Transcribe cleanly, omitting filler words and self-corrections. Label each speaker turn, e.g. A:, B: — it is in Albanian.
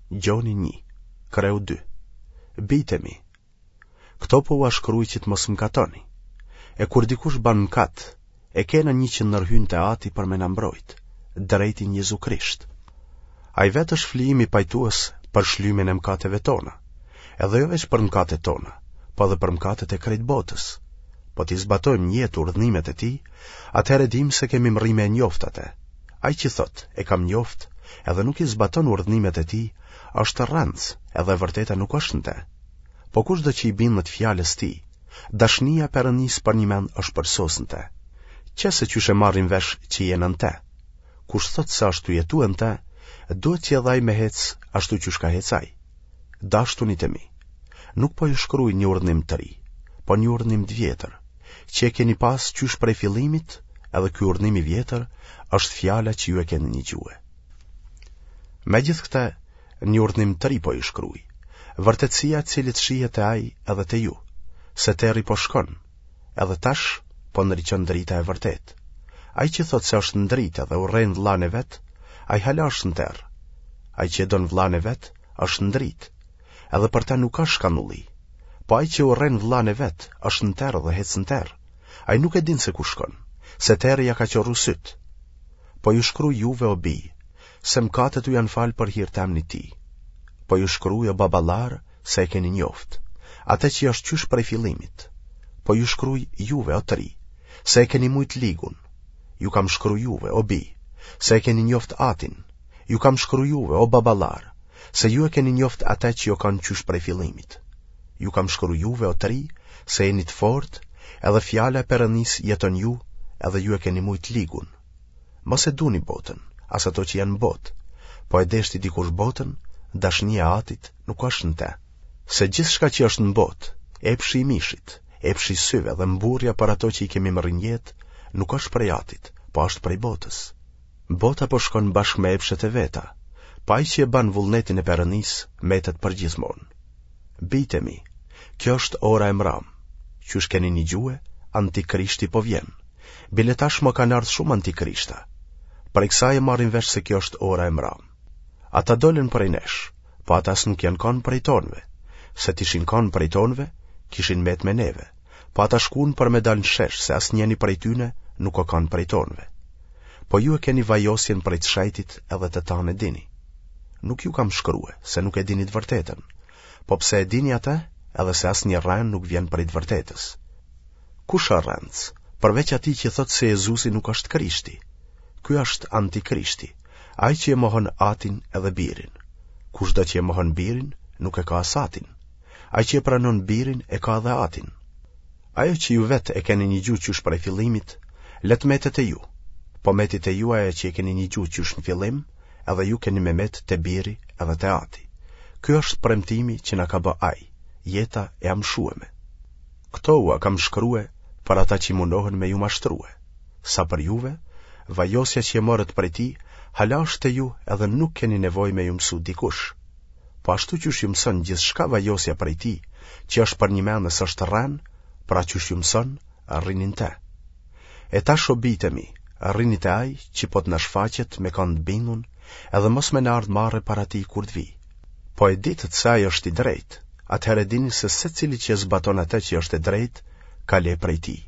A: Gjoni 1, kreu 2. Bijtë e mi, këto po ua shkruj që të mos mëkatoni. E kur dikush ban mëkat, e kena një që ndërhyn te Ati për me na mbrojt, drejtin Jezu Krisht. Ai vetë është flijimi pajtues për shlymin e mëkateve tona, edhe jo veç për mëkatet tona, po edhe për mëkatet e krejt botës. Po t'i zbatojmë n'jetë urdhnimet e tij, atëherë e dimë se kemi mrri me e njoftë atë. Ai që thotë, e kam njoftë, edhe nuk i zbaton urdhnimet e tij, është rrenc, edhe e vërteta nuk është në te. Po kushdo që i bindet fjalës tij, dashnia e Perëndisë përnjëmend është përsosë në te. Qe se qysh e marrim vesh që jena në te. Kush thotë se është tu jetue në te, duhet që edhe ai me hecë ashtu qysh ka hecë ai. Dashtunit e mi, nuk po ju shkruj një urdhnim të ri, po një urdhnim të vjetër, që e keni pas qysh prej fillimit, edhe ky urdhnim i vjetër është fjala që ju e keni nigjue. Megjithëkëtë, një urdhnim të ri po ju shkruj, vërtetësia e të cilit shihet te ai edhe te ju, se terri po shkon, edhe tash po ndriçon drita e vërtetë. Ai që thotë se është në dritë dhe urren vëllanë e vet, ai hala është në terr. Ai që e don vëllanë e vet, është në dritë, edhe për të nuk ka shkanulli. Po ai që urren vëllanë e vet, është në terr dhe hec në terr. Ai nuk e din se ku shkon, se terri ia ka qorru sytë. Po ju shkruj juve o bij, se mëkatet u janë falë për hir të emnit tij. Po ju shkruj o baballarë se e keni njoftë, atë që është qysh prej fillimit. Po ju shkruj juve o të ri, se e keni mujtë ligun. Ju kam shkru juve o bij, se e keni njoftë atin. Ju kam shkru juve o baballarë, se ju e keni njoftë atë që o kanë qysh prej fillimit. Ju kam shkru juve o të ri, se jeni të fortë, edhe fjala e Perëndisë jeton n'ju, edhe ju e keni mujtë ligun. Mos e duni botën, as ato që janë në botë. Po e deshti dikush botën, dashnia e atit nuk është në te. Se gjithçka që është në botë, epshi i mishit, epshi i syve dhe mburrja për ato që i kemi mrri n'jetë, nuk është prej atit, po është prej botës. Bota po shkon bashkë me epshet e veta, po ai që e ban vullnetin e Perëndisë metet përgjithmonë. Bijtë e mi, kjo është ora e mramë. Qysh keni nigjue, antikrishti po vjen. Bile tashmë kanë ardhë shumë antikrishta. Prej kësaj e marrim vesh se kjo është ora e mramë. Ata dolën prej nesh, po ata s'nuk janë kanë prej tonëve. Se t'ishin kanë prej tonëve, kishin met me neve. Po ata shkun për me dalë në shesh se asnjëni prej tyne nuk o kanë prej tonëve. Po ju e keni vajosjen prej të shejtit edhe të tanë e dini. Nuk ju kam shkrue, se nuk e dini të vërtetën, po pse e dini atë, edhe se asnjë rrenë nuk vjen prej të vërtetës. Kush është rrenc, përveç atij që thotë se Jezusi nuk është Krishti? Ky është antikrishti, ai që e mohon Atin edhe Birin. Kushdo që e mohon Birin, nuk e ka as Atin. Ai që e pranon Birin, e ka edhe Atin. Ajo që ju vetë e keni nigju qysh prej fillimit, le të metet te ju. Po meti te ju ajo që e keni nigju qysh në fillim, edhe ju keni me met te Biri edhe te Ati. Ky është premtimi që na ka bë Ai, jeta e amshueme. Këto ua kam shkrue për ata që munohen me ju mashtrue. Sa për juve, vajosja që e morët prej tij, hala është te ju edhe nuk keni nevojë me ju mësu dikush. Po ashtu qysh ju mëson gjithçka vajosja prej tij, që është përnjëmend e s'është rrenë, pra qysh ju mëson, rrini në te. E tash o bijtë e mi, rrini te ai që po të na shfaqet me kanë të bindun, edhe mos me na ardhë marre para tij kur të vijë. Po e ditët se ai është i drejtë, atëherë e dini se secili që e zbaton atë që është e drejtë, ka le prej tij.